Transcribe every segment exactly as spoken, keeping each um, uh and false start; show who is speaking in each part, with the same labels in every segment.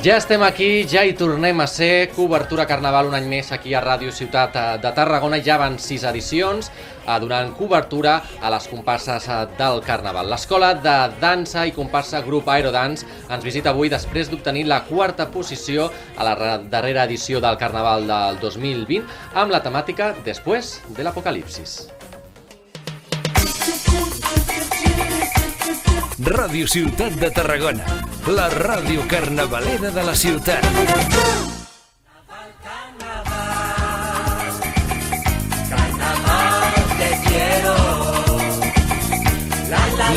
Speaker 1: Ja estem aquí, ja hi tornem a ser, cobertura Carnaval un any més aquí a Ràdio Ciutat de Tarragona. Ja van sis edicions donant cobertura a les comparses del Carnaval. L'Escola de Dansa i Comparsa Grup Aerodance ens visita avui després d'obtenir la quarta posició a la darrera edició del Carnaval del dos mil vint amb la temàtica Después de l'Apocalipsis.
Speaker 2: Ràdio Ciutat de Tarragona, la ràdio carnavalera de la ciutat.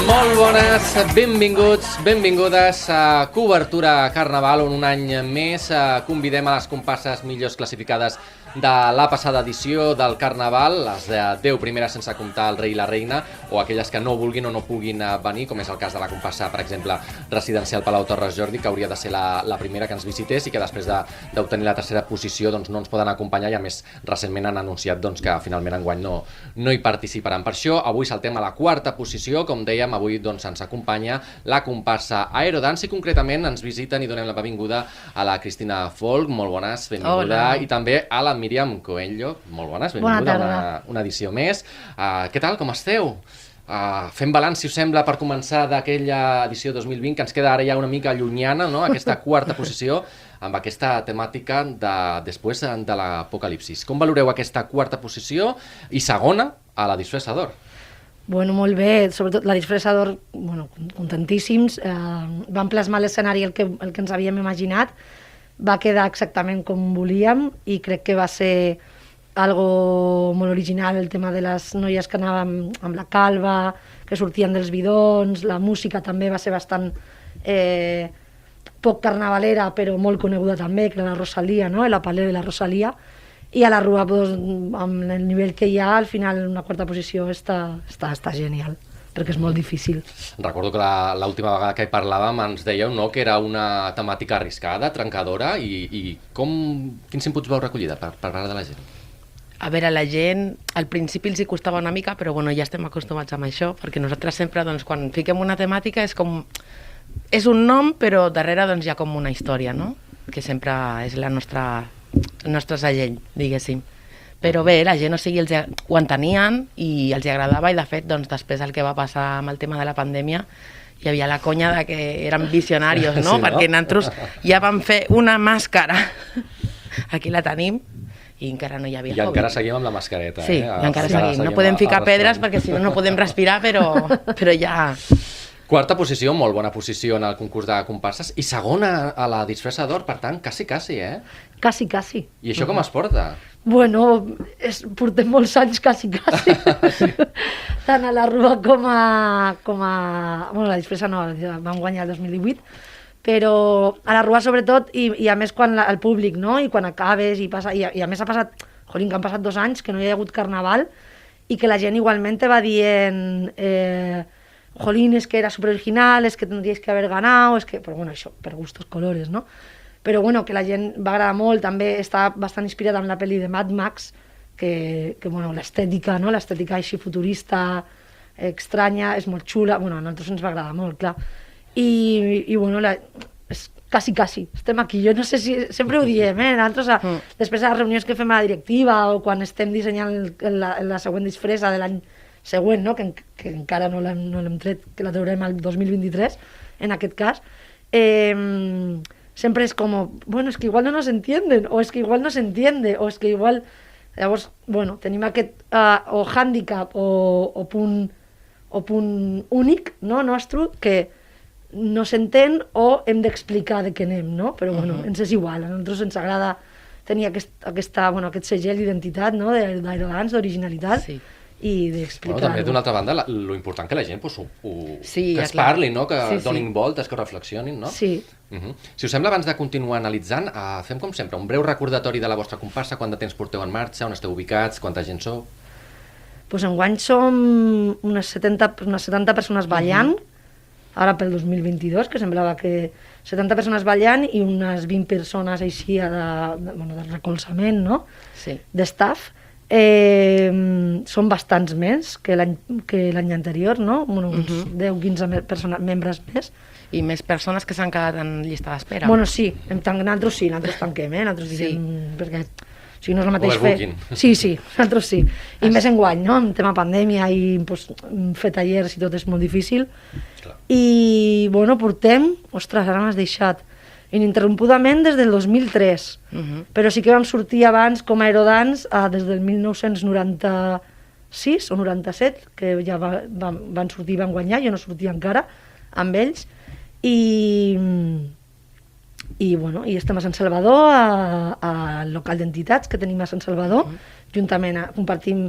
Speaker 1: Molt bones, benvinguts, benvingudes a Cobertura Carnaval, on un any més convidem a les comparses millors classificades de la passada edició del Carnaval, les de deu primeres sense comptar el rei i la reina, o aquelles que no vulguin o no puguin venir, com és el cas de la comparsa, per exemple, residencial Palau Torres Jordi, que hauria de ser la, la primera que ens visités i que després d'obtenir de, la tercera posició doncs, no ens poden acompanyar, i a més recentment han anunciat doncs, que finalment enguany no, no hi participaran. Per això avui saltem a la quarta posició, com dèiem, avui doncs, ens acompanya la comparsa Aerodance i concretament ens visiten i donem la benvinguda a la Cristina Folk, molt bones, benvinguda. Hola. I també a la Míriam Coelho, molt bones, benvinguda a una, una edició més. Uh, què tal, com esteu? Uh, fem balanç, si us sembla, per començar d'aquella edició dos mil vint, que ens queda ara ja una mica llunyana, no? Aquesta quarta posició amb aquesta temàtica de Después de l'Apocalipsis. Com valoreu aquesta quarta posició i segona a la Disfressador?
Speaker 3: Bueno, molt bé, sobretot la Disfressador, bueno, contentíssims. Eh, vam plasmar l'escenari el que, el que ens havíem imaginat, va quedar exactament com volíem i crec que va ser algo molt original, el tema de les noies que anàvem amb la calva, que sortien dels bidons, la música també va ser bastant eh, poc carnavalera però molt coneguda també, que era la Rosalia, no? La Palé de la Rosalia, i a la Rua, doncs, amb el nivell que hi ha, al final una quarta posició està, està, està genial, perquè és molt difícil.
Speaker 1: Recordo que l'última vegada que hi parlàvem ens dèieu, no?, que era una temàtica arriscada, trencadora, i, i com, quins inputs vau recollir per, per part de la gent?
Speaker 4: A veure, la gent al principi els hi costava una mica, però bueno, ja estem acostumats amb això, perquè nosaltres sempre, doncs, quan fiquem una temàtica és com... és un nom, però darrere doncs, hi ha com una història, no?, que sempre és la nostra, el nostre segell, diguéssim. Però bé, la gent, o sigui, els, ho entenien i els agradava, i de fet, doncs, després del que va passar amb el tema de la pandèmia, hi havia la conya de que eren visionaris, no? Sí, no? Perquè nosaltres ja vam fer una màscara, aquí la tenim, i encara no hi havia
Speaker 1: I
Speaker 4: Covid.
Speaker 1: encara seguim amb la mascareta.
Speaker 4: Sí,
Speaker 1: eh?
Speaker 4: i encara seguim. No podem ficar pedres perquè si no no podem respirar, però, però ja...
Speaker 1: Quarta posició, molt bona posició en el concurs de comparses, i segona a la Disfressador, per tant, quasi, quasi, eh?
Speaker 3: Quasi, quasi.
Speaker 1: I això com es porta?
Speaker 3: Bueno, és, portem molts anys quasi, quasi. Sí. Tant a la Rua com a... Com a bueno, la Disfressa no, vam guanyar el dos mil divuit, però a la Rua sobretot, i, i a més quan la, el públic, no?, i quan acabes, i, passa, i, i a més ha passat, jolín, que han passat dos anys que no hi ha hagut carnaval, i que la gent igualment te va dient... Eh, jolín, es que era súper original, es que tendríais que haver ganado, es que... Però bueno, això, per gustos colores, no? Però bueno, que la gent va agradar molt, també està bastant inspirada en la pel·li de Mad Max, que, que bueno, l'estètica, no?, l'estètica així futurista, estranya, és molt xula, bueno, a nosaltres ens va agradar molt, clar. I, i bueno, la, és quasi, quasi, estem aquí, jo no sé si, sempre ho diem, eh, nosaltres, a, mm. després de les reunions que fem a la directiva, o quan estem dissenyant la, la següent disfressa de l'any següent, no?, que, que encara no l'hem no tret, que la traurem el dos mil vint-i-tres, en aquest cas, eh, sempre és com, bueno, es que igual no nos entienden, o es que igual no se entiende, o es que igual... Llavors, bueno, tenim aquest uh, o hàndicap o, o, punt, o punt únic, no?, nostre, que no s'entén o hem d'explicar de què anem, no? Però bueno, uh-huh. ens és igual, a nosaltres ens agrada tenir aquest, aquesta, bueno, aquest segell d'identitat, no?, d'Aerodance, d'originalitat. Sí. I d'explicar-ho.
Speaker 1: Bueno, també, d'una altra banda, la, lo important que la gent pues, ho, ho,
Speaker 3: sí,
Speaker 1: que es
Speaker 3: clar.
Speaker 1: parli, no? Que
Speaker 3: sí,
Speaker 1: donin
Speaker 3: sí.
Speaker 1: voltes, que ho reflexionin, no?
Speaker 3: Sí.
Speaker 1: Uh-huh. Si us sembla, abans de continuar analitzant, uh, fem com sempre, un breu recordatori de la vostra comparsa, quant de temps porteu en marxa, on esteu ubicats, quanta gent sou?
Speaker 3: Pues enguany som unes setanta, unes setanta persones ballant, uh-huh. ara pel dos mil vint-i-dos, que semblava que setanta persones ballant i unes vint persones així de, de, bueno, de recolzament, no?
Speaker 4: Sí.
Speaker 3: D'estaf. Eh, són bastants més que l'any que l'any anterior, no? Bueno, uns uh-huh. deu quinze persones, membres més.
Speaker 4: i més persones que s'han quedat en llista d'espera.
Speaker 3: Bueno, sí, en tant, nosaltres sí, nosaltres tanquem, eh? Nosaltres diem, sí. Perquè o sigui, no és el mateix
Speaker 1: Overbooking.
Speaker 3: fer... Sí, sí, nosaltres sí. I més enguany, no? En tema pandèmia i pues, fer tallers i tot és molt difícil.
Speaker 1: Clar.
Speaker 3: I, bueno, portem... Ostres, ara m'has deixat... Ininterrompudament des del dos mil tres.
Speaker 4: Uh-huh.
Speaker 3: Però sí que vam sortir abans com a Aerodance eh, des del mil nou-cents noranta-sis o noranta-set, que ja va, van, van sortir i van guanyar, jo no sortia encara amb ells. I, i, bueno, i estem a Sant Salvador, al local d'entitats que tenim a Sant Salvador, uh-huh. juntament a, compartim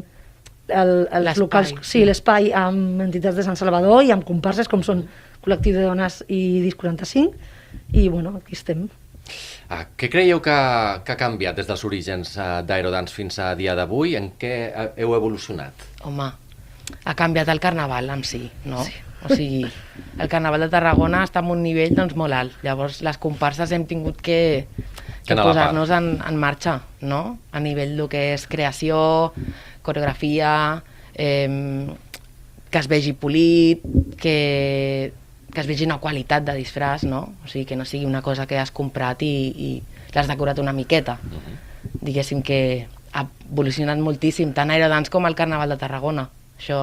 Speaker 3: el, els locals, sí, l'espai amb entitats de Sant Salvador i amb comparses com són Col·lectiu de Dones i Disc quaranta-cinc, i bueno, aquí estem.
Speaker 1: Ah, què creieu que, que ha canviat des dels orígens uh, d'Aerodance fins a dia d'avui? En què heu evolucionat?
Speaker 4: Home, ha canviat el carnaval en si, no?
Speaker 3: Sí.
Speaker 4: O sigui, el carnaval de Tarragona està en un nivell doncs, molt alt. Llavors, les comparses hem tingut que, que, que posar-nos en, en marxa, no? A nivell del que és creació, coreografia, eh, que es vegi polit, que, que es vegi una qualitat de disfraç, no? O sigui, que no sigui una cosa que has comprat i, i l'has decorat una miqueta. Uh-huh. Diguéssim que ha evolucionat moltíssim, tant Aerodance com el Carnaval de Tarragona. Això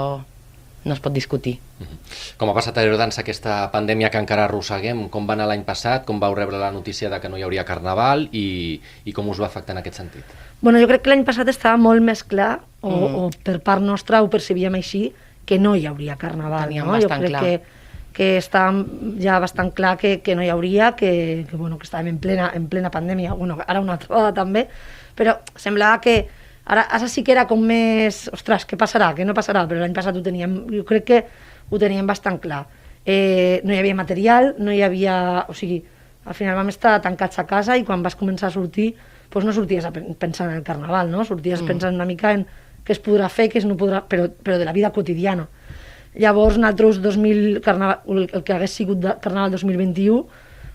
Speaker 4: no es pot discutir.
Speaker 1: Uh-huh. Com ha passat a Aerodance aquesta pandèmia que encara arrosseguem? Com va anar l'any passat? Com vau rebre la notícia de que no hi hauria Carnaval i, i com us va afectar en aquest sentit?
Speaker 3: Bueno, jo crec que l'any passat estava molt més clar, o,
Speaker 4: Mm.
Speaker 3: o per part nostra ho percebíem així, que no hi hauria Carnaval.
Speaker 4: Teníem
Speaker 3: No? Jo
Speaker 4: bastant
Speaker 3: crec
Speaker 4: clar.
Speaker 3: que, que estava ja bastant clar que, que no hi hauria, que, que, bueno, que estàvem en plena, en plena pandèmia, bueno, ara una altra vegada també, però semblava que ara, ara sí que era com més, ostres, què passarà, què no passarà, però l'any passat ho teníem, jo crec que ho teníem bastant clar. Eh, no hi havia material, no hi havia, o sigui, al final vam estar tancats a casa i quan vas començar a sortir, doncs no sorties a pen- pensant en el Carnaval, no? Sorties
Speaker 4: Mm.
Speaker 3: pensant una mica en què es podrà fer, què es no podrà, però, però de la vida quotidiana. Llavors, nosaltres, dos mil, carnaval, el, el que hagués sigut de Carnaval dos mil vint-i-u,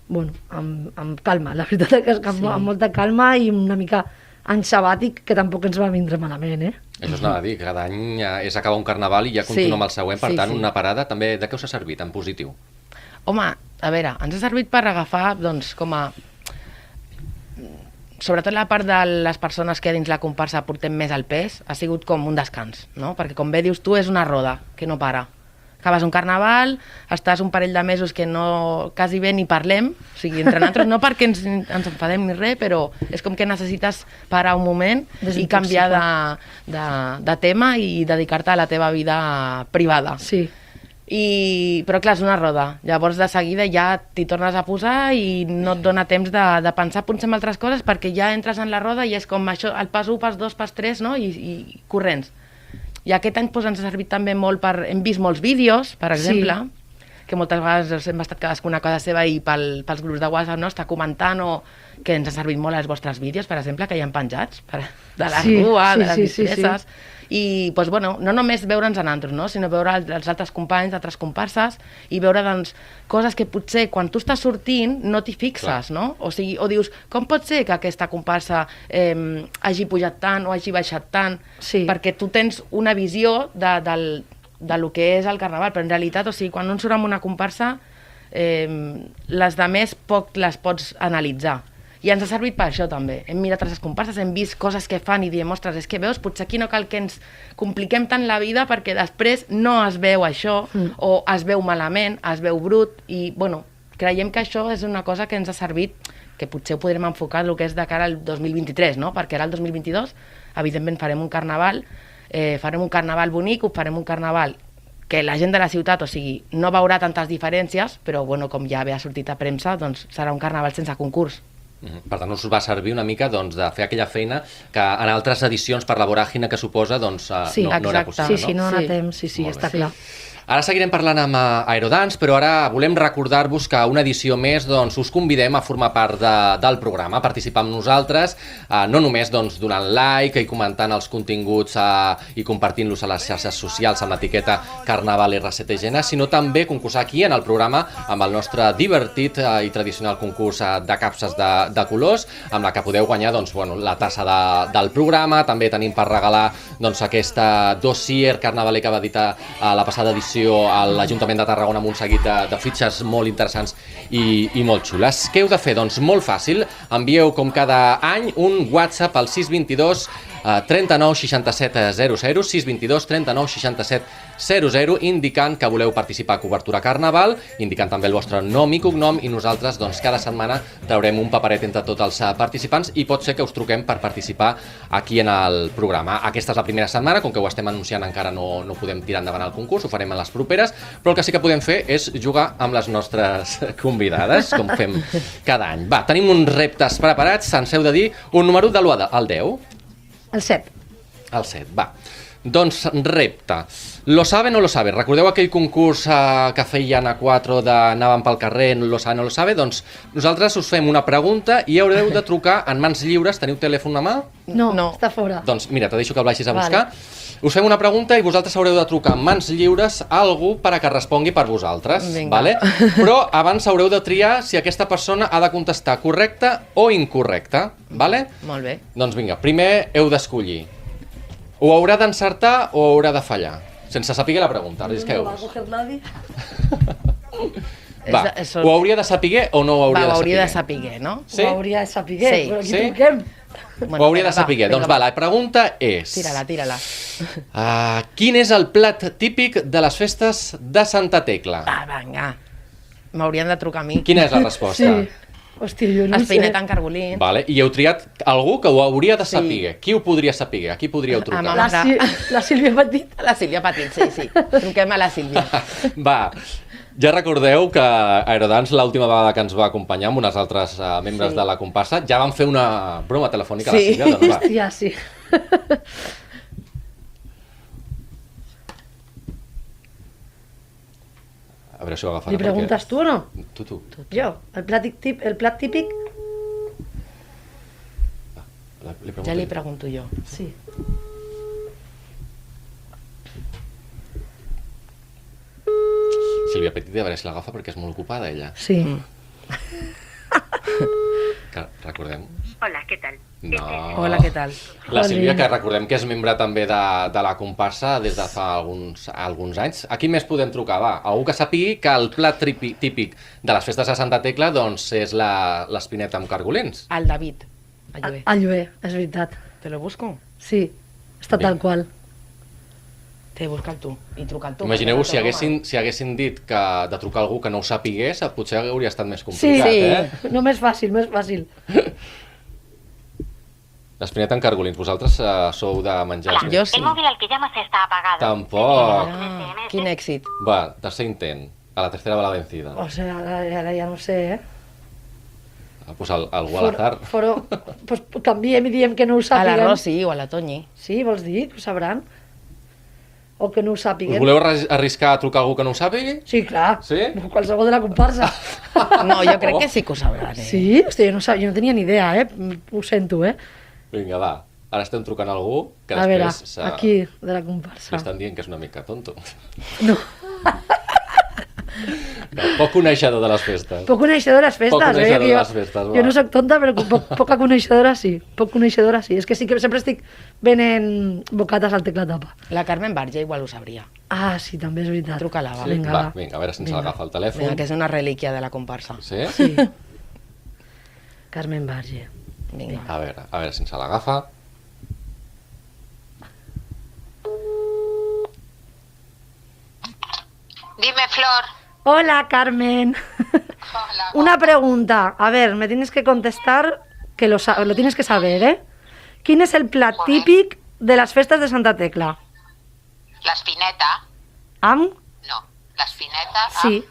Speaker 3: bueno, amb, amb calma, la veritat és que amb,
Speaker 4: Sí.
Speaker 3: amb molta calma i una mica any sabàtic, que tampoc ens va vindre malament, eh?
Speaker 1: Això es anava a dir, cada any eh, és acabar un Carnaval i ja continua
Speaker 4: Sí,
Speaker 1: amb el següent, per
Speaker 4: sí,
Speaker 1: tant,
Speaker 4: sí.
Speaker 1: una parada també. De què us ha servit, en positiu?
Speaker 4: Home, a veure, ens ha servit per agafar, doncs, com a... Sobretot la part de les persones que dins la comparsa portem més al pes, ha sigut com un descans, no? Perquè com bé dius tu, és una roda que no para. Acabes un carnaval, estàs un parell de mesos que no, quasi bé ni parlem, o sigui, entre nosaltres, no perquè ens, ens enfadem ni res, però és com que necessites parar un moment i canviar de, de, de tema i dedicar-te a la teva vida privada.
Speaker 3: Sí.
Speaker 4: I, però clar, és una roda, llavors de seguida ja t'hi tornes a posar i no et dona temps de, de pensar potser en altres coses perquè ja entres en la roda i és com això, el pas u, pas dos, pas tres, no? I, i corrents. I aquest any doncs, ens ha servit també molt per... Hem vist molts vídeos, per exemple, sí. que moltes vegades hem estat cadascuna a casa seva i pel, pels grups de WhatsApp no, està comentant o que ens ha servit molt els vostres vídeos, per exemple, que hi ha penjats per, de la
Speaker 3: Sí,
Speaker 4: rua,
Speaker 3: sí,
Speaker 4: de les
Speaker 3: sí, sí,
Speaker 4: disfresses.
Speaker 3: sí.
Speaker 4: I doncs, bueno, no només veure'ns a nosaltres, no? sinó veure els altres companys, altres comparses i veure doncs, coses que potser quan tu estàs sortint no t'hi fixes, no? O sigui, o dius, com pot ser que aquesta comparsa eh, hagi pujat tant o hagi baixat tant?
Speaker 3: Sí.
Speaker 4: Perquè tu tens una visió de, del, de lo que és el carnaval, però en realitat, o sigui, quan un surt amb una comparsa, eh, les de més poc les pots analitzar. I ens ha servit per això també. Hem mirat les comparses, hem vist coses que fan i diem, ostres, és que veus, potser aquí no cal que ens compliquem tant la vida perquè després no es veu això, mm. o es veu malament, es veu brut, i bueno, creiem que això és una cosa que ens ha servit, que potser ho podrem enfocar el que és de cara al dos mil vint-i-tres, no? Perquè ara el dos mil vint-i-dos, evidentment farem un carnaval, eh, farem un carnaval bonic, ho farem un carnaval que la gent de la ciutat, o sigui, no veurà tantes diferències, però bueno, com ja ha sortit a premsa, doncs serà un carnaval sense concurs.
Speaker 1: Per tant, us va servir una mica doncs, de fer aquella feina que en altres edicions, per la voràgina que suposa, doncs,
Speaker 3: Sí,
Speaker 1: no, no era
Speaker 4: exacte.
Speaker 1: possible.
Speaker 3: Sí, sí, no
Speaker 4: Sí.
Speaker 3: sí. temps, sí, sí,
Speaker 1: Molt
Speaker 3: està
Speaker 1: bé.
Speaker 3: clar.
Speaker 1: Ara seguirem parlant amb eh, Aerodance, però ara volem recordar-vos que una edició més doncs, us convidem a formar part de, del programa, a participar amb nosaltres, eh, no només doncs, donant like i comentant els continguts eh, i compartint-los a les xarxes socials amb l'etiqueta Carnaval R C T G N, sinó també concursar aquí en el programa amb el nostre divertit eh, i tradicional concurs eh, de capses de, de colors, amb la que podeu guanyar doncs, bueno, la tassa de, del programa. També tenim per regalar doncs, aquesta dossier carnavaler que va editar eh, la passada edició col·laboració a l'Ajuntament de Tarragona amb un seguit de, de fitxes molt interessants i, i molt xules. Què heu de fer? Doncs molt fàcil, envieu com cada any un WhatsApp al sis dos dos trenta-nou seixanta-set zero zero, sis dos dos trenta-nou seixanta-set zero zero, indicant que voleu participar a Cobertura Carnaval, indicant també el vostre nom i cognom, i nosaltres doncs, cada setmana traurem un paperet entre tots els participants i pot ser que us truquem per participar aquí en el programa. Aquesta és la primera setmana, com que ho estem anunciant encara no, no podem tirar endavant el concurs, ho farem en les properes, però el que sí que podem fer és jugar amb les nostres convidades, com fem cada any. Va, tenim uns reptes preparats, ens heu de dir un número de l'u al deu.
Speaker 3: El set.
Speaker 1: El set, va. Doncs repte. Lo sabe, no lo sabe. Recordeu aquell concurs eh, que feien a quatre d'anàvem pel carrer, lo sabe, no lo sabe? Doncs nosaltres us fem una pregunta i haureu de trucar en mans lliures. Teniu telèfon a mà?
Speaker 3: No,
Speaker 4: No.
Speaker 3: està fora.
Speaker 1: Doncs mira, te deixo que el vagis a
Speaker 3: Vale.
Speaker 1: buscar. Us fem una pregunta i vosaltres haureu de trucar en mans lliures a algú per a que respongui per vosaltres.
Speaker 4: Vinga.
Speaker 1: Vale? Però abans haureu de triar si aquesta persona ha de contestar correcta o incorrecta. Vale?
Speaker 4: Molt bé.
Speaker 1: Doncs vinga, primer heu d'escollir. O haurà d'encertar o haurà de fallar. Sense saber la pregunta, arrisqueu.
Speaker 3: No va a coger nadie.
Speaker 1: Va,
Speaker 4: És- és-
Speaker 1: ho hauria de saber o no ho hauria
Speaker 4: Va, ho
Speaker 1: de
Speaker 4: hauria de
Speaker 1: saber?
Speaker 4: saber, no?
Speaker 1: Sí?
Speaker 3: Ho hauria de saber,
Speaker 4: Sí.
Speaker 3: però aquí
Speaker 1: Sí?
Speaker 3: truquem.
Speaker 1: Ho hauria de
Speaker 4: vinga,
Speaker 1: saber.
Speaker 4: va,
Speaker 1: Doncs
Speaker 4: vinga,
Speaker 1: va, la pregunta és...
Speaker 4: Tira-la, tira-la.
Speaker 1: Uh, quin és el plat típic de les festes de Santa Tecla?
Speaker 4: Va, vinga. M'haurien de trucar a mi.
Speaker 1: Quina és la resposta?
Speaker 3: Sí. Hòstia, jo no ho sé.
Speaker 4: Espineta en cargolí.
Speaker 1: Vale, i heu triat algú que ho hauria de
Speaker 4: Sí.
Speaker 1: saber. Qui ho podria saber? A qui podríeu trucar?
Speaker 4: mama.
Speaker 3: La, Sil la Sílvia Petit.
Speaker 4: La Sílvia Petit, sí, sí. Truquem a la Sílvia.
Speaker 1: Va, ja recordeu que Aerodance, l'última vegada que ens va acompanyar amb unes altres uh, membres
Speaker 4: Sí.
Speaker 1: de la comparsa, ja van fer una broma telefònica a la
Speaker 4: Sí.
Speaker 1: Sílvia. Doncs va.
Speaker 3: Hòstia, sí.
Speaker 1: A veure si ho agafarà.
Speaker 3: Li preguntes tu o no?
Speaker 1: Perquè... Tu, tu.
Speaker 3: Jo, el plat típic, el plat típic,
Speaker 1: La- Li
Speaker 4: Ja li
Speaker 1: pregunto.
Speaker 4: pregunto jo.
Speaker 3: sí.
Speaker 1: Sílvia Petit, a veure si l'agafa perquè és molt ocupada ella.
Speaker 3: Sí.
Speaker 4: Mm.
Speaker 1: Que recordem...
Speaker 5: Hola, ¿qué tal?
Speaker 1: No.
Speaker 4: Hola, què tal?
Speaker 1: La Sílvia,
Speaker 3: Jolín.
Speaker 1: que recordem que és membre també de, de la comparsa des de fa alguns, alguns anys. A qui més podem trucar? Va, algú que sàpigui que el plat tripi- típic de les festes de Santa Tecla doncs, és la- l'espineta amb cargolins.
Speaker 4: El David. A
Speaker 3: A,
Speaker 4: Llué.
Speaker 3: a Llué, és veritat.
Speaker 4: Te lo busco?
Speaker 3: Sí, està tal
Speaker 1: Vinga.
Speaker 3: qual.
Speaker 4: Te busca'l tu. I truca'l tu.
Speaker 1: Imagineu-vos si
Speaker 4: perquè no
Speaker 1: haguessin, si haguessin dit que de trucar algú que no ho sapigués, potser hauria estat més
Speaker 3: Sí,
Speaker 1: complicat,
Speaker 4: Sí.
Speaker 1: eh?
Speaker 3: no més fàcil, més fàcil.
Speaker 1: L'espineta amb cargolins, vosaltres uh, sou de menjar...
Speaker 5: Hola,
Speaker 1: espineta?
Speaker 4: Jo sí.
Speaker 5: el móvil al que llamas está apagado.
Speaker 1: Tampoc.
Speaker 4: Ah, quin èxit.
Speaker 1: Va, tercer intent. A la tercera va la vencida.
Speaker 3: O sigui, ara, ara ja no sé, eh?
Speaker 1: Ah, pues al, algú a l'azar.
Speaker 3: Foro, pues canviem i diem que no ho
Speaker 4: A la
Speaker 3: sàpiguen.
Speaker 4: Rossi o a la Toñi.
Speaker 3: Sí, vols dir? Ho sabran? O que no ho
Speaker 1: Us
Speaker 3: sàpiguen?
Speaker 1: voleu arris- arriscar a trucar a algú que no ho sàpigui?
Speaker 3: Sí, clar.
Speaker 1: Sí?
Speaker 3: Qualsevol de la comparsa.
Speaker 4: No, jo crec que sí que ho sabran, eh?
Speaker 3: Sí? Hòstia, jo no, sab... jo no tenia ni idea, eh? Ho sento, eh?
Speaker 1: Vinga, va. Ara estem trucant a algú que
Speaker 3: A veure,
Speaker 1: després s'ha-
Speaker 3: aquí, de la
Speaker 1: li
Speaker 3: comparsa.
Speaker 1: estan dient que és una mica tonto.
Speaker 3: No,
Speaker 1: No, poc coneixedor de les festes.
Speaker 3: poc coneixedor de les festes,
Speaker 1: Poc coneixedor
Speaker 3: eh? Que
Speaker 1: de
Speaker 3: jo,
Speaker 1: les festes, va.
Speaker 3: jo no sóc tonta, però poc, poca coneixedora sí. Poc coneixedora sí. És que sí que sempre estic venent bocates al teclatapa.
Speaker 4: La Carmen Barja igual ho sabria.
Speaker 3: Ah, sí, també és veritat.
Speaker 4: Truca-la, va.
Speaker 1: Sí?
Speaker 3: Vinga,
Speaker 1: va,
Speaker 3: va.
Speaker 1: vinga, a veure si ens
Speaker 3: Vinga.
Speaker 1: agafa el telèfon.
Speaker 4: Vinga, que és una relíquia de la comparsa.
Speaker 1: Sí?
Speaker 3: Sí. Carmen Barge.
Speaker 4: Vinga.
Speaker 1: A veure, a veure si ens l'agafa.
Speaker 5: Dime, Flor.
Speaker 3: Hola, Carmen.
Speaker 5: Hola.
Speaker 3: Una pregunta. A ver, me tienes que contestar, que lo, sa- lo tienes que saber, ¿eh? ¿Quién es el plat
Speaker 5: Joder.
Speaker 3: típic de las festas de Santa Tecla?
Speaker 5: L'espineta?
Speaker 3: Am?
Speaker 5: No. L'espineta amb...
Speaker 3: Sí.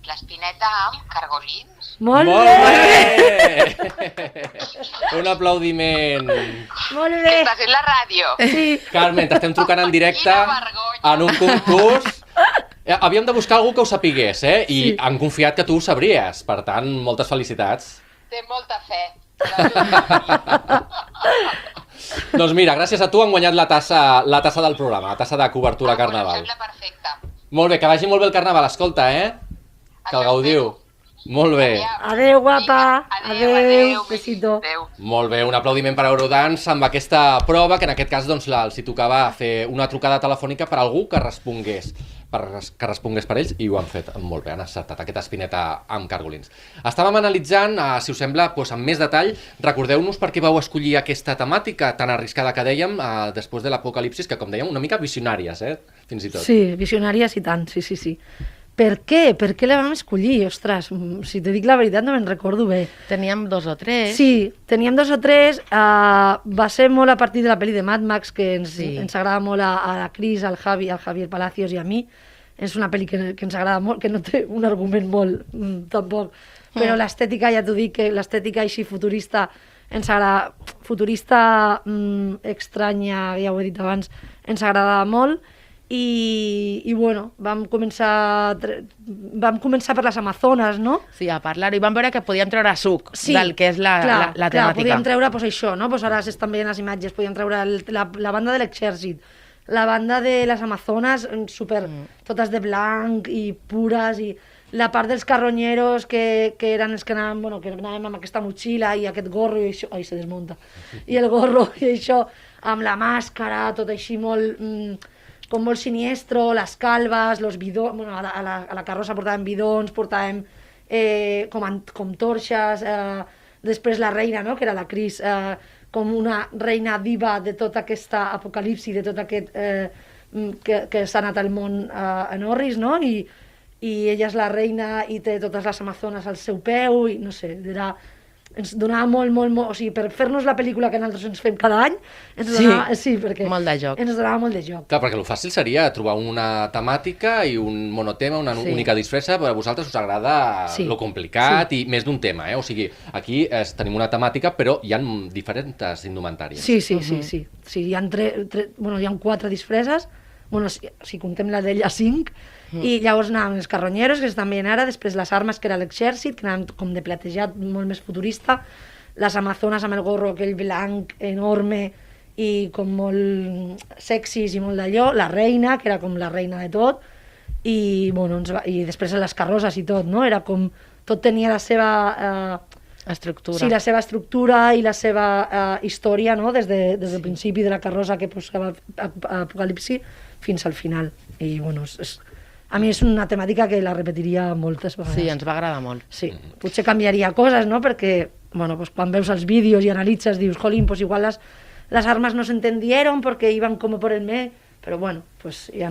Speaker 5: L'espineta amb cargolins?
Speaker 3: Molt,
Speaker 1: Molt
Speaker 3: bé!
Speaker 1: bé! Un aplaudiment.
Speaker 3: Molt
Speaker 5: Que
Speaker 3: bé!
Speaker 5: estàs en la ràdio?
Speaker 3: Sí.
Speaker 1: Carmen, t'estem trucant en directe
Speaker 5: Quina vergonya.
Speaker 1: en un concurs. Eh, Havíem de buscar algú que ho sapigués, eh? I
Speaker 3: Sí.
Speaker 1: han confiat que tu ho sabries. Per tant, moltes felicitats.
Speaker 5: Té molta fe.
Speaker 1: Doncs mira, gràcies a tu han guanyat la tassa, la tassa del programa, la tassa de cobertura
Speaker 5: Ah, bueno,
Speaker 1: Carnaval.
Speaker 5: em sembla perfecte.
Speaker 1: Molt bé, que vagi molt bé el Carnaval, escolta, eh? Que el
Speaker 5: Això
Speaker 1: gaudiu. Molt bé.
Speaker 3: Adeu, guapa.
Speaker 5: Adéu,
Speaker 3: Adeu.
Speaker 5: adéu.
Speaker 3: Besito.
Speaker 5: Adéu.
Speaker 1: Molt bé, un aplaudiment per Eurodance amb aquesta prova, que en aquest cas doncs, la, els hi tocava fer una trucada telefònica per algú que respongués per que respongués per ells, i ho han fet molt bé, han acceptat aquesta espineta amb cargolins. Estàvem analitzant, eh, si us sembla, doncs, amb més detall, recordeu-nos per què vau escollir aquesta temàtica tan arriscada que dèiem, eh, després de l'apocalipsis, que com dèiem, una mica visionàries, eh? Fins i tot.
Speaker 3: Sí, visionàries i tant, sí, sí, sí. Per què? Per què la vam escollir? Ostres, si te dic la veritat no me'n recordo bé.
Speaker 4: Teníem dos o tres.
Speaker 3: Sí, teníem dos o tres. Uh, va ser molt a partir de la pel·li de Mad Max, que ens,
Speaker 4: Sí.
Speaker 3: ens agrada molt a, a la Cris, al Javi, al Javier Palacios i a mi. És una pel·li que, que ens agrada molt, que no té un argument molt, mm, tampoc. Però
Speaker 4: Mm.
Speaker 3: l'estètica, ja t'ho dic, que l'estètica així futurista, ens agrada, futurista mm, estranya, ja ho he dit abans, ens agrada molt. I, i bueno, vam començar, vam començar per les Amazones, no?
Speaker 4: Sí, a parlar-ho. I vam veure que podíem treure suc del que és la,
Speaker 3: clar,
Speaker 4: la, la
Speaker 3: clar,
Speaker 4: temàtica.
Speaker 3: podíem treure pues, això, no? Pues ara s'estan veient les imatges, podíem treure el, la, la banda de l'exèrcit, la banda de les Amazones, super, mm. totes de blanc i pures, i la part dels carronyeros que, que eren els que anàvem, bueno, que anàvem amb aquesta motxilla i aquest gorro i això, ai, se desmunta, i el gorro i això, amb la màscara, tot així molt... Mm, com molt siniestro, les calves, los bidons, bueno, a, la, a, la, a la carrossa portàvem bidons, portàvem eh, com, an, com torxes, eh, després la reina, no?, que era la Cris, eh, com una reina diva de tota aquesta apocalipsi, de tot aquest eh, que, que s'ha anat al món eh, en orris, no?, I, i ella és la reina i té totes les amazones al seu peu, i no sé, era... ens donava molt, molt, molt... O sigui, per fer-nos la pel·lícula que nosaltres ens fem cada any, ens
Speaker 4: Sí,
Speaker 3: donava... Sí, perquè
Speaker 4: molt de joc.
Speaker 3: ens donava molt de joc.
Speaker 1: Clar, perquè el fàcil seria trobar una temàtica i un monotema, una
Speaker 3: Sí.
Speaker 1: única disfressa, però a vosaltres us agrada
Speaker 3: Sí.
Speaker 1: lo complicat i més d'un tema, eh? O sigui, aquí eh, tenim una temàtica, però hi ha diferents indumentàries.
Speaker 3: Sí, sí, sí, sí. sí hi, ha tre, tre, bueno, hi ha quatre disfresses, bueno, si, si contem la d'ella, cinc, mm. i llavors anàvem els carronyeros, que estan veient ara, després les armes, que era l'exèrcit, que anàvem com de platejat, molt més futurista, les amazones amb el gorro aquell blanc enorme i com molt sexis i molt d'allò, la reina, que era com la reina de tot, i, bueno, ens va, i després les carrosses i tot, no? Era com... Tot tenia la seva... Eh,
Speaker 4: Estructura.
Speaker 3: Sí, la seva estructura i la seva uh, història, no?, des, de, des del sí. principi de la carrossa que posava Apocalipsi fins al final. I, bueno, és, és, a mi és una temàtica que la repetiria moltes vegades.
Speaker 4: Sí, ens va agradar molt.
Speaker 3: Sí, potser canviaria coses, no?, perquè, bueno, pues, quan veus els vídeos i analitzes, dius, jolín, pues igual les, les armes no s'entendieron perquè iban como por el me... Però, bueno, pues hi ha...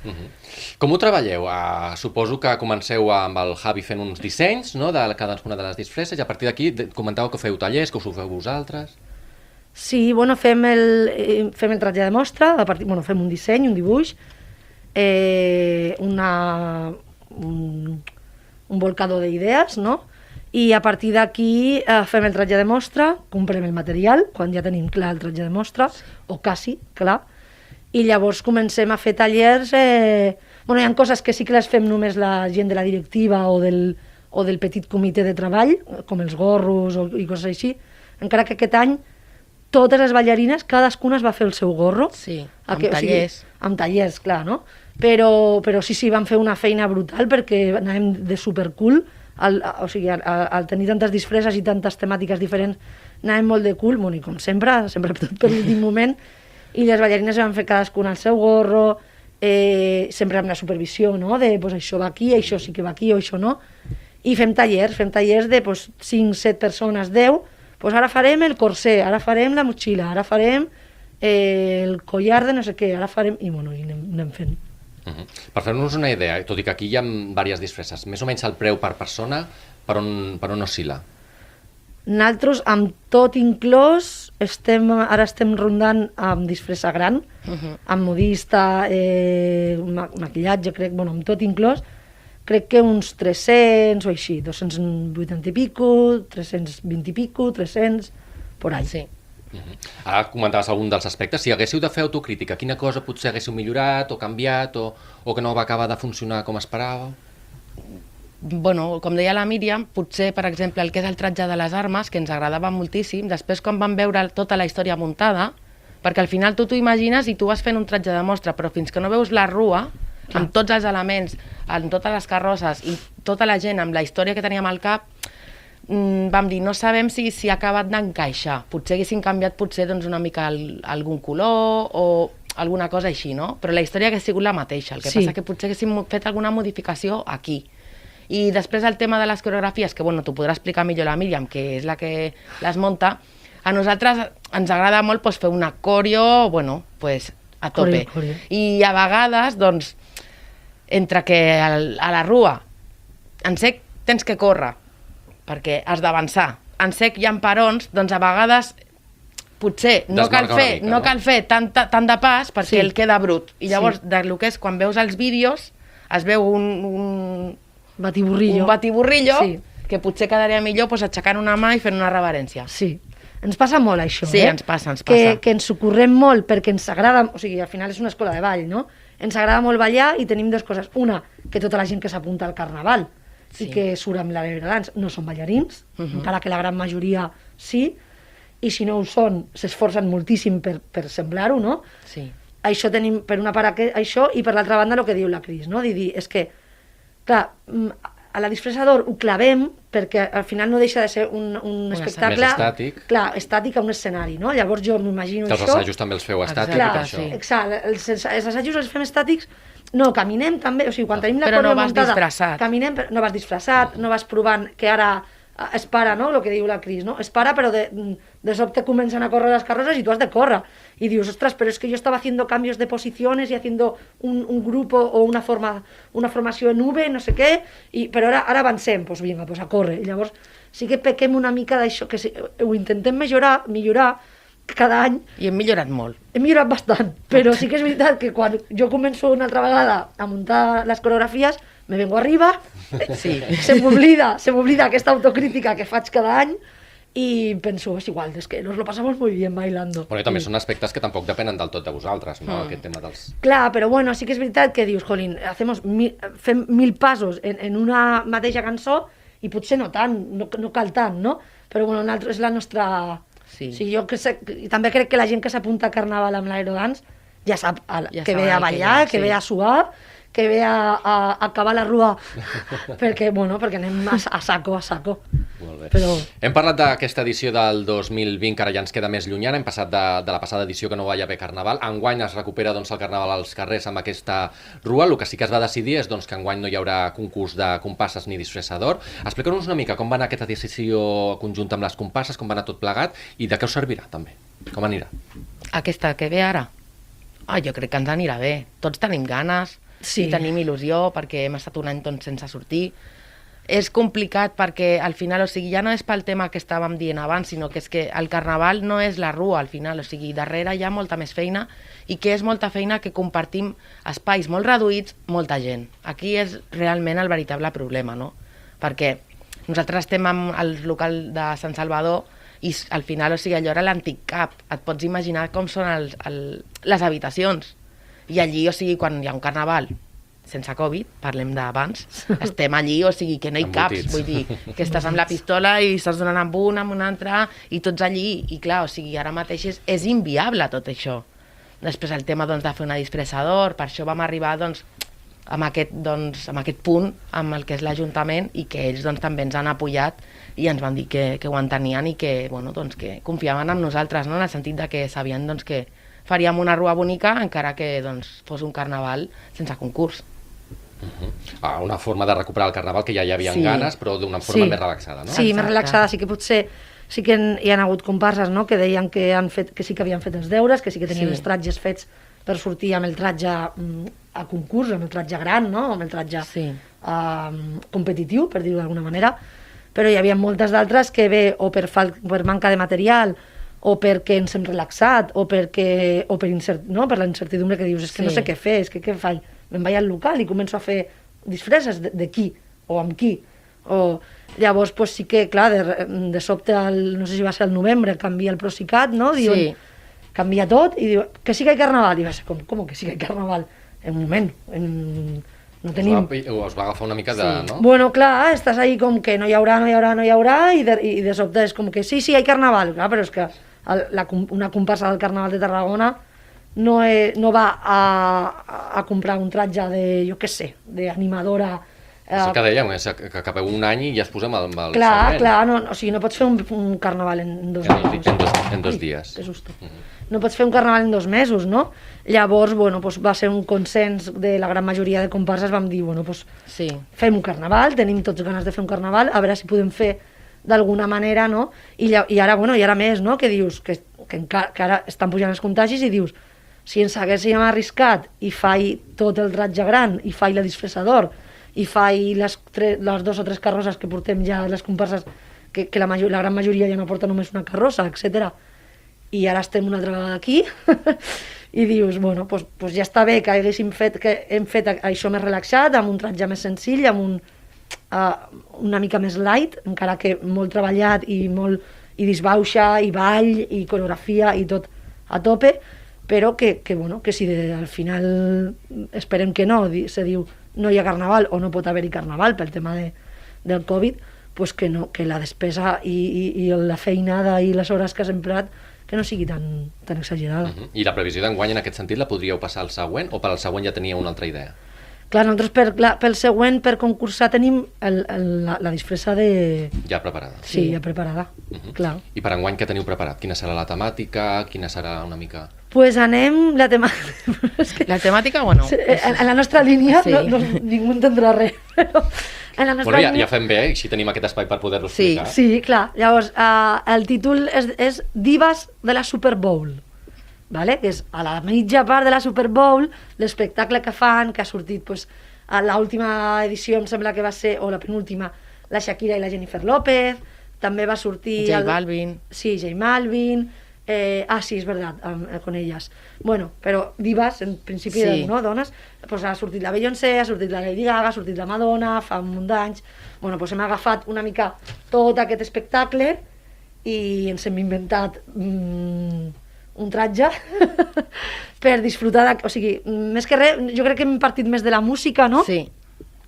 Speaker 1: Uh -huh. Com ho treballeu? Uh, suposo que comenceu amb el Javi fent uns dissenys, no?, de cadascuna de les disfresses, i a partir d'aquí comentàveu que feu tallers, que us ho feu vosaltres.
Speaker 3: Sí, bueno, fem el, eh, fem el tratge de mostra, a partir, bueno, fem un disseny, un dibuix, eh, una, un, un volcador d'idees, no? I a partir d'aquí eh, fem el tratge de mostra, comprem el material, quan ja tenim clar el tratge de mostra, o quasi clar, i llavors comencem a fer tallers, eh... bueno, hi ha coses que sí que les fem només la gent de la directiva o del, o del petit comitè de treball, com els gorros o, i coses així, encara que aquest any totes les ballarines, cadascuna es va fer el seu gorro.
Speaker 4: Sí,
Speaker 3: a
Speaker 4: amb
Speaker 3: que,
Speaker 4: tallers.
Speaker 3: O sigui, amb tallers, clar, no? Però, però sí, sí, van fer una feina brutal perquè anàvem de supercool, al, o sigui, al, al tenir tantes disfresses i tantes temàtiques diferents, anàvem molt de cool, bueno, i com sempre, sempre tot per l'últim moment, i les ballarines van fer cadascuna el seu gorro, eh, sempre amb la supervisió, no?, de pues, això va aquí, això sí que va aquí o això no, i fem tallers, fem tallers de pues, cinc set persones, deu, pues ara farem el corsé, ara farem la motxilla, ara farem eh, el collar de no sé què, ara farem... I bueno, i anem, anem fent.
Speaker 1: Uh -huh. Per fer-nos una idea, tot i que aquí hi ha diverses disfresses, més o menys el preu per persona, per on, per on oscil·la?
Speaker 3: Nosaltres, amb tot inclòs, estem, ara estem rondant amb disfressa gran, uh -huh. amb modista, eh, ma maquillatge, crec, bueno, amb tot inclòs, crec que uns tres-cents o així, dos-cents vuitanta i pico, tres-cents vint i pico, tres-cents, por ahí.
Speaker 4: Sí.
Speaker 1: Uh -huh. Ara comentaves algun dels aspectes. Si haguéssiu de fer autocrítica, quina cosa potser haguéssiu millorat o canviat o, o que no va acabar de funcionar com esperàveu?
Speaker 4: Bueno, com deia la Míriam, potser, per exemple, el que és el tratge de les armes, que ens agradava moltíssim, després quan vam veure tota la història muntada, perquè al final tu t'ho imagines i tu vas fent un tratge de mostra, però fins que no veus la rua,
Speaker 3: Clar.
Speaker 4: amb tots els elements, amb totes les carrosses i tota la gent amb la història que teníem al cap, mmm, vam dir, no sabem si, si ha acabat d'encaixar. Potser haguessin canviat potser doncs, una mica el, algun color o alguna cosa així, no? Però la història hagués sigut la mateixa, el que
Speaker 3: Sí.
Speaker 4: passa que potser haguéssim fet alguna modificació aquí. I després el tema de les coreografies, que bueno, t'ho podrà explicar millor la Míriam, que és la que les munta, a nosaltres ens agrada molt pues, fer una coreo, bueno, pues, a tope.
Speaker 3: Coreo, coreo.
Speaker 4: I a vegades, doncs, entre que al, a la rua en sec tens que córrer, perquè has d'avançar. En sec hi ha parons, doncs a vegades potser no cal
Speaker 1: Desmarca una
Speaker 4: fer,
Speaker 1: mica,
Speaker 4: no
Speaker 1: no?
Speaker 4: cal fer tant, tant de pas perquè
Speaker 3: Sí.
Speaker 4: el queda brut. I llavors,
Speaker 3: Sí.
Speaker 4: del que és, quan veus els vídeos, es veu un, un,
Speaker 3: Batiburrillo.
Speaker 4: un batiburrillo
Speaker 3: Sí.
Speaker 4: que potser quedaria millor pues, aixecant una mà i fent una reverència.
Speaker 3: Sí. Ens passa molt això,
Speaker 4: Sí,
Speaker 3: eh?
Speaker 4: ens passa, ens
Speaker 3: Que,
Speaker 4: passa.
Speaker 3: que ens ho correm molt perquè ens agrada, o sigui, al final és una escola de ball, no? Ens agrada molt ballar i tenim dues coses. Una, que tota la gent que s'apunta al carnaval
Speaker 4: Sí.
Speaker 3: i que surt amb l'Aerodance no són ballarins, uh -huh. encara que la gran majoria sí, i si no ho són, s'esforcen moltíssim per, per semblar-ho, no?
Speaker 4: Sí.
Speaker 3: Això tenim, per una part, aqu- això, i per l'altra banda, el que diu la Cris, no? De dir, és que, clar, mm, a la disfressador ho clavem perquè al final no deixa de ser un, un espectacle...
Speaker 1: Més estàtic.
Speaker 3: Clar, estàtic a un escenari, no? Llavors jo m'imagino
Speaker 1: Que els
Speaker 3: això...
Speaker 1: assajos també els feu estàtics,
Speaker 4: Exacte,
Speaker 3: Clar,
Speaker 1: això.
Speaker 4: sí.
Speaker 3: exacte, els, els, els assajos els fem estàtics, no, caminem també, o sigui, quan tenim la
Speaker 4: Però no
Speaker 3: coreo
Speaker 4: vas
Speaker 3: muntada,
Speaker 4: disfressat.
Speaker 3: caminem, però no vas disfressat, no vas provant que ara eh, es para, no?, el que diu la Cris, no? Es para, però de, de sobte comencen a córrer les carrozas i tu has de córrer. I dius, ostras, però és que jo estava haciendo cambios de posiciones y haciendo un, un grupo o una, forma, una formació en V, no sé què, i, però ara, ara avancem, doncs vinga, pues a córrer. I llavors sí que pequem una mica d'això, que sí, ho intentem millorar, millorar cada any,
Speaker 4: I hem millorat molt.
Speaker 3: he millorat bastant, però sí que és veritat que quan jo començo una altra vegada a muntar les coreografies, me vengo arriba,
Speaker 4: Sí.
Speaker 3: se m'oblida, se m'oblida aquesta autocrítica que faig cada any i penso, és igual, és que nos lo pasamos muy bien bailando.
Speaker 1: Però i també
Speaker 3: I-
Speaker 1: són aspectes que tampoc depenen del tot de vosaltres, no? Aquest tema dels...
Speaker 3: Clar, però bueno, sí que és veritat que dius, jolín, hacemos mil, fem mil passos en, en una mateixa cançó i potser no tant, no, no cal tant, no? Però bueno, nosaltres és la nostra...
Speaker 4: Sí.
Speaker 3: O sigui, jo que sé, i també crec que la gent que s'apunta a Carnaval amb l'Aerodance ja sap a,
Speaker 4: Ja
Speaker 3: que ve
Speaker 4: saben
Speaker 3: a
Speaker 4: que
Speaker 3: ballar,
Speaker 4: ve,
Speaker 3: que
Speaker 4: sí.
Speaker 3: ve a suar, que ve a, a, a acabar la rua, perquè, bueno, perquè anem a, a saco, a saco.
Speaker 1: Molt bé.
Speaker 3: Però...
Speaker 1: Hem parlat d'aquesta edició del dos mil vint, que ara ja ens queda més llunyana. Hem passat de, de la passada edició que no va haver carnaval. Enguany es recupera doncs, el carnaval als carrers amb aquesta rua. El que sí que es va decidir és doncs, que enguany no hi haurà concurs de compasses ni disfressador. Explica'ns una mica com va anar aquesta decisió conjunta amb les compasses, com va anar tot plegat i de què us servirà, també. Com anirà?
Speaker 4: Aquesta que ve ara? Ah, jo crec que ens anirà bé. Tots tenim ganes,
Speaker 3: Sí.
Speaker 4: i tenim il·lusió, perquè hem estat un any doncs, sense sortir. És complicat perquè al final, o sigui, ja no és pel tema que estàvem dient abans, sinó que és que el carnaval no és la rua al final, o sigui, darrere hi ha molta més feina i que és molta feina que compartim espais molt reduïts, molta gent. Aquí és realment el veritable problema, no? Perquè nosaltres estem al local de Sant Salvador i s- al final, o sigui, allò era l'antic cap. Et pots imaginar com són els, el, les habitacions. I allí, o sigui, quan hi ha un carnaval sense Covid, parlem d'abans, estem allí, o sigui, que no hi caps,
Speaker 1: Embotits.
Speaker 4: vull dir, que estàs amb la pistola i estàs donant amb un, amb un altre, i tots allí, i clar, o sigui, ara mateix és, és inviable tot això. Després el tema, doncs, de fer una disfressador, per això vam arribar, doncs, amb aquest, doncs, amb aquest punt, amb el que és l'Ajuntament, i que ells, doncs, també ens han apoyat i ens van dir que, que ho entenien i que, bueno, doncs, que confiaven en nosaltres, no?, en el sentit de que sabien, doncs, que faríem una rua bonica encara que doncs, fos un carnaval sense concurs.
Speaker 1: Ah, una forma de recuperar el carnaval que ja hi havia
Speaker 4: Sí.
Speaker 1: ganes, però d'una forma
Speaker 3: Sí.
Speaker 1: més relaxada, no?
Speaker 3: Sí, més
Speaker 4: Exacte.
Speaker 3: relaxada, sí que potser sí que en- hi ha hagut comparses, no?, que deien que, han fet, que sí que havien fet els deures, que sí que tenien
Speaker 4: Sí.
Speaker 3: els tratges fets per sortir amb el tratge mm, a concurs, amb el tratge gran, no?, amb el tratge
Speaker 4: Sí.
Speaker 3: eh, competitiu, per dir-ho d'alguna manera, però hi havia moltes d'altres que bé o per, fal per manca de material o perquè ens hem relaxat o, perquè, o per, incert no? per la incertidumbre que dius, és que no
Speaker 4: Sí.
Speaker 3: sé què fer, és que què faig? Me'n vaig al local i començo a fer disfresses de, de qui o amb qui. O, llavors, pues, sí que, clar, de, de sobte, el, no sé si va ser el novembre, canvia el Procicat, no? Diuen,
Speaker 4: Sí.
Speaker 3: canvia tot i diu que sí que hi ha carnaval. I va ser com, com que sí que hi ha carnaval? En un moment, en, no tenim...
Speaker 1: Us va, us va agafar una mica de...
Speaker 4: Sí.
Speaker 1: No?
Speaker 3: Bueno, clar, estàs ahí com que no hi haurà, no hi haurà, no hi haurà, i de, i de sobte és com que sí, sí, hi ha carnaval, clar, però és que el, la, com- una comparsa del Carnaval de Tarragona no, és, no va a, a comprar un tratge de, jo què sé, d'animadora.
Speaker 1: És el que dèiem, és que que acabeu un any i ja es posem amb el
Speaker 3: Clar,
Speaker 1: següent.
Speaker 3: clar, no, o sigui, no pots fer un, un carnaval en dos
Speaker 1: En dos
Speaker 3: mesos.
Speaker 1: di- en dos- en dos
Speaker 3: Ai,
Speaker 1: dies.
Speaker 3: Que susto. no pots fer un carnaval en dos mesos, no? Llavors, bueno, doncs va ser un consens de la gran majoria de comparses, vam dir, bueno, doncs
Speaker 4: Sí.
Speaker 3: fem un carnaval, tenim tots ganes de fer un carnaval, a veure si podem fer d'alguna manera, no? I, lla- i ara, bueno, i ara més, no? Que dius, que, que, encara, que ara estan pujant els contagis i dius, si ens haguéssim arriscat i faig tot el ratge gran, i faig la disfressador, i faig les, tre- les dos o tres carrosses que portem ja, les comparses, que, que la, major, la gran majoria ja no porta només una carrossa, etcètera. I ara estem una altra vegada aquí, i dius, bueno, pues, pues ja està bé que haguéssim fet, que hem fet això més relaxat, amb un ratge més senzill, amb un, uh, una mica més light, encara que molt treballat i molt i disbauxa, i ball, i coreografia, i tot a tope, però que, que, bueno, que si de, al final esperem que no, di, se diu no hi ha carnaval o no pot haver-hi carnaval pel tema de, del Covid, pues que, no, que la despesa i, i, i la feinada i les hores que has emprat que no sigui tan, tan exagerada.
Speaker 1: Uh -huh. I la previsió d'enguany en aquest sentit la podríeu passar al següent o per al següent ja tenia una altra idea?
Speaker 3: Clar, nosaltres per, clar, pel següent, per concursar, tenim el, el, la, la disfressa de...
Speaker 1: Ja preparada.
Speaker 3: Sí, ja preparada,
Speaker 1: Uh -huh.
Speaker 3: clar.
Speaker 1: I per enguany què teniu preparat? Quina serà la temàtica? Quina serà una mica...
Speaker 3: Pues anem... La tema... és que,
Speaker 4: La temàtica, bueno...
Speaker 3: sí, en, en la nostra línia
Speaker 4: Sí.
Speaker 3: no, no, ningú entendrà res, però en la nostra
Speaker 1: Bueno, ja,
Speaker 3: línia...
Speaker 1: ja fem bé, així tenim aquest espai per poder-lo
Speaker 4: Sí,
Speaker 1: explicar.
Speaker 3: Sí, clar. Llavors, uh, el títol és, és Divas de la Super Bowl, vale? Que és a la mitja part de la Super Bowl, l'espectacle que fan, que ha sortit pues, a l'última edició, em sembla que va ser, o la penúltima, la Shakira i la Jennifer López, també va sortir...
Speaker 4: J
Speaker 3: el-
Speaker 4: Balvin.
Speaker 3: Sí, J Balvin... Eh, ah, sí, és veritat, amb, eh, con elles. Bueno, però divas, en principi,
Speaker 4: Sí.
Speaker 3: sí. no, dones, pues ha sortit la Beyoncé, ha sortit la Lady Gaga, ha sortit la Madonna, fa un munt d'anys. Bueno, pues hem agafat una mica tot aquest espectacle i ens hem inventat mm, un tratge per disfrutar, de, o sigui, més que res, jo crec que hem partit més de la música, no?
Speaker 4: Sí.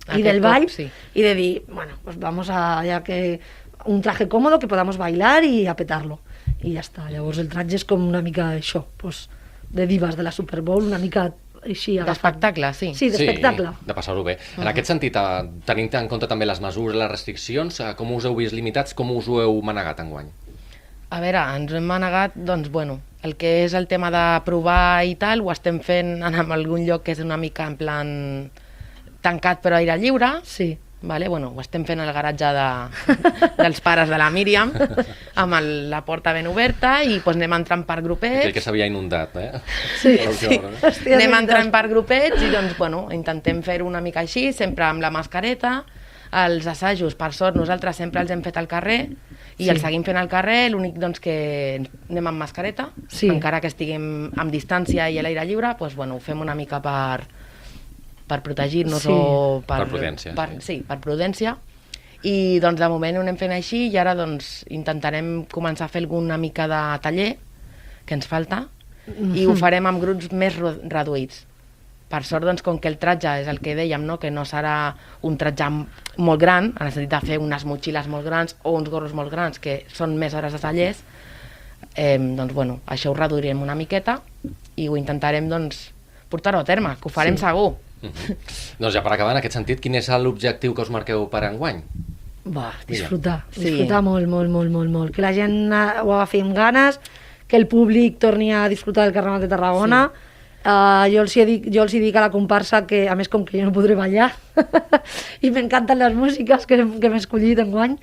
Speaker 3: Y
Speaker 4: Aquest
Speaker 3: del
Speaker 4: cop,
Speaker 3: baile,
Speaker 4: sí.
Speaker 3: y de dir, bueno, pues vamos a, ya que un traje cómodo que podamos bailar y a petarlo. I ja està. Llavors el tratge és com una mica això, pues, de divas de la Super Bowl, una mica així agafat.
Speaker 4: D'espectacle, sí.
Speaker 3: Sí, d'espectacle.
Speaker 1: Sí, de passar-ho bé. En aquest sentit, eh, tenint en compte també les mesures, les restriccions, eh, com us heu vist limitats, com us ho heu manegat enguany?
Speaker 4: A veure, ens hem manegat, doncs, bueno, el que és el tema de provar i tal, ho estem fent en algun lloc que és una mica en plan tancat però aire lliure,
Speaker 3: Sí.
Speaker 4: vale? Bueno, ho estem fent al garatge de, dels pares de la Míriam, amb el, la porta ben oberta, i doncs, anem entrant per grupets.
Speaker 1: Aquell que s'havia inundat, eh?
Speaker 3: Sí,
Speaker 1: L'última
Speaker 3: sí.
Speaker 1: hora, no?
Speaker 3: Hòstia,
Speaker 4: Anem
Speaker 3: és
Speaker 4: entrant
Speaker 3: veritat.
Speaker 4: per grupets i doncs, bueno, intentem fer-ho una mica així, sempre amb la mascareta. Els assajos, per sort, nosaltres sempre els hem fet al carrer i
Speaker 3: Sí.
Speaker 4: els seguim fent al carrer, l'únic doncs, que anem amb mascareta,
Speaker 3: Sí.
Speaker 4: encara que estiguem amb distància i a l'aire lliure, doncs, bueno, ho fem una mica per, per protegir-nos
Speaker 3: Sí.
Speaker 4: o per,
Speaker 1: Per prudència,
Speaker 4: Per,
Speaker 1: sí.
Speaker 4: sí, per prudència. I doncs, de moment ho anem fent així i ara doncs, intentarem començar a fer alguna mica de taller, que ens falta, i ho farem amb grups més ro- reduïts. Per sort, doncs, com que el tratge és el que dèiem, no? Que no serà un tratge m- molt gran, en el sentit de fer unes motxilles molt grans o uns gorros molt grans, que són més hores de tallers, eh, doncs, bueno, això ho reduirem una miqueta i ho intentarem, doncs, portar-ho a terme, que ho farem
Speaker 3: Sí.
Speaker 4: segur.
Speaker 1: Mhm. Doncs ja per acabar, en aquest sentit, quin és l'objectiu que us marqueu per enguany?
Speaker 3: Va, disfrutar,
Speaker 4: Sí.
Speaker 3: disfrutar molt, molt, molt, molt, molt. Que la gent eh, ho agafi amb ganes, que el públic torni a disfrutar del Carnaval de Tarragona. Sí. Uh, jo, els hi dic, jo els hi dic a la comparsa que, a més, com que jo no podré ballar, i m'encanten les músiques que, que m'he escollit enguany,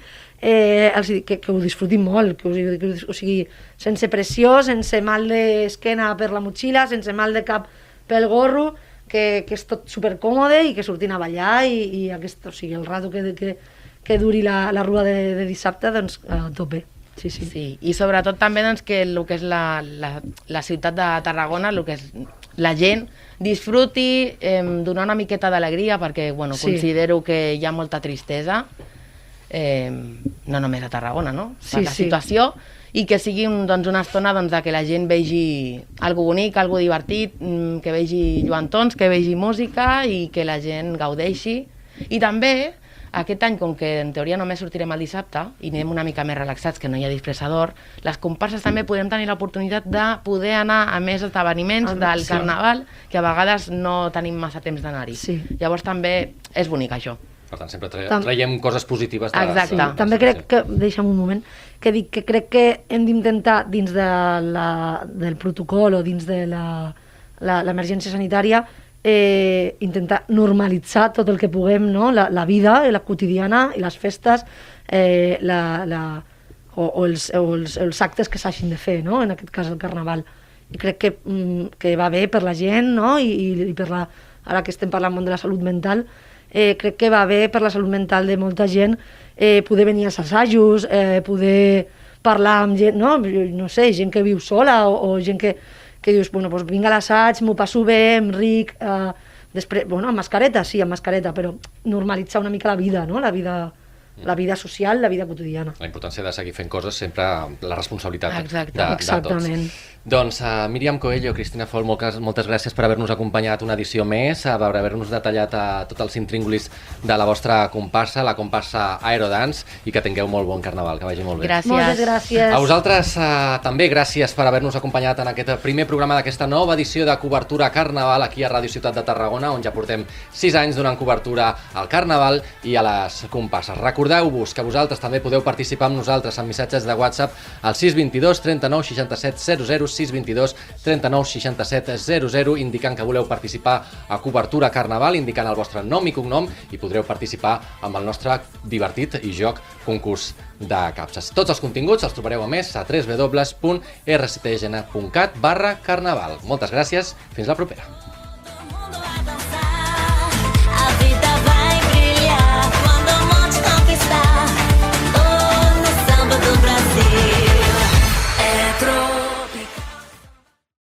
Speaker 3: eh, els hi dic que, que ho disfrutin molt, que, ho, que, ho- o sigui, sense pressió, sense mal d'esquena per la motxilla, sense mal de cap pel gorro, que, que és tot supercòmode i que surtin a ballar i, i aquest, o sigui, el rato que, que, que duri la, la rua de, de dissabte, doncs a tope. Sí, sí.
Speaker 4: Sí, i sobretot també doncs, que el que és la, la, la ciutat de Tarragona, el que és la gent, disfruti, eh, donar una miqueta d'alegria, perquè bueno,
Speaker 3: Sí.
Speaker 4: considero que hi ha molta tristesa, eh, no només a Tarragona, no? Per
Speaker 3: Sí,
Speaker 4: la
Speaker 3: sí.
Speaker 4: situació, i que sigui un, doncs, una estona doncs, de que la gent vegi algo bonic, algo divertit, mm, que vegi lluantons, que vegi música i que la gent gaudeixi. I també, aquest any, com que en teoria només sortirem el dissabte i anem una mica més relaxats, que no hi ha disfressador, les comparses també podem tenir l'oportunitat de poder anar a més esdeveniments
Speaker 3: Ah,
Speaker 4: del
Speaker 3: sí.
Speaker 4: Carnaval, que a vegades no tenim massa temps d'anar-hi.
Speaker 3: Sí.
Speaker 4: Llavors també és bonic això.
Speaker 1: Per tant, sempre tra
Speaker 3: Tam-
Speaker 1: traiem coses positives. De
Speaker 4: Exacte.
Speaker 1: de-
Speaker 3: Sí, també crec que, deixa'm un moment, que dic que crec que hem d'intentar dins de la, del protocol o dins de la- la- l'emergència sanitària eh, intentar normalitzar tot el que puguem, no? la, la vida, la quotidiana i les festes, eh, la, la, o, o, els, o els, els actes que s'hagin de fer, no? En aquest cas el carnaval. I crec que, mm, que va bé per la gent, no? I, i, i per la, ara que estem parlant molt de la salut mental, eh, crec que va bé per la salut mental de molta gent eh, poder venir als assajos, eh, poder parlar amb gent, no? No sé, gent que viu sola o, o gent que, que dius, bueno, doncs vinc a l'assaig, m'ho passo bé, em ric, eh, després, bueno, amb mascareta, sí, amb mascareta, però normalitzar una mica la vida, no? La vida, la vida social, la vida quotidiana.
Speaker 1: La importància de seguir fent coses, sempre amb la responsabilitat
Speaker 4: Exacte.
Speaker 1: de, de
Speaker 3: Exactament.
Speaker 1: tots. Doncs uh, Míriam Coello, Cristina Fol, moltes, moltes gràcies per haver-nos acompanyat una edició més, uh, per haver-nos detallat uh, tots els intríngulis de la vostra comparsa, la comparsa Aerodance, i que tingueu molt bon carnaval, que vagi molt bé.
Speaker 4: Gràcies.
Speaker 3: Moltes gràcies.
Speaker 1: A vosaltres uh, també gràcies per haver-nos acompanyat en aquest primer programa d'aquesta nova edició de cobertura Carnaval aquí a Ràdio Ciutat de Tarragona, on ja portem sis anys donant cobertura al Carnaval i a les comparses. Recordeu-vos que vosaltres també podeu participar amb nosaltres en missatges de WhatsApp al sis dos dos, trenta-nou, seixanta-set, zero zero, sis dos dos, trenta-nou, seixanta-set, zero zero, indicant que voleu participar a cobertura Carnaval, indicant el vostre nom i cognom, i podreu participar amb el nostre divertit i joc concurs de capses. Tots els continguts els trobareu a més a w w w punt r c t g n punt cat barra carnaval. Moltes gràcies, fins la propera.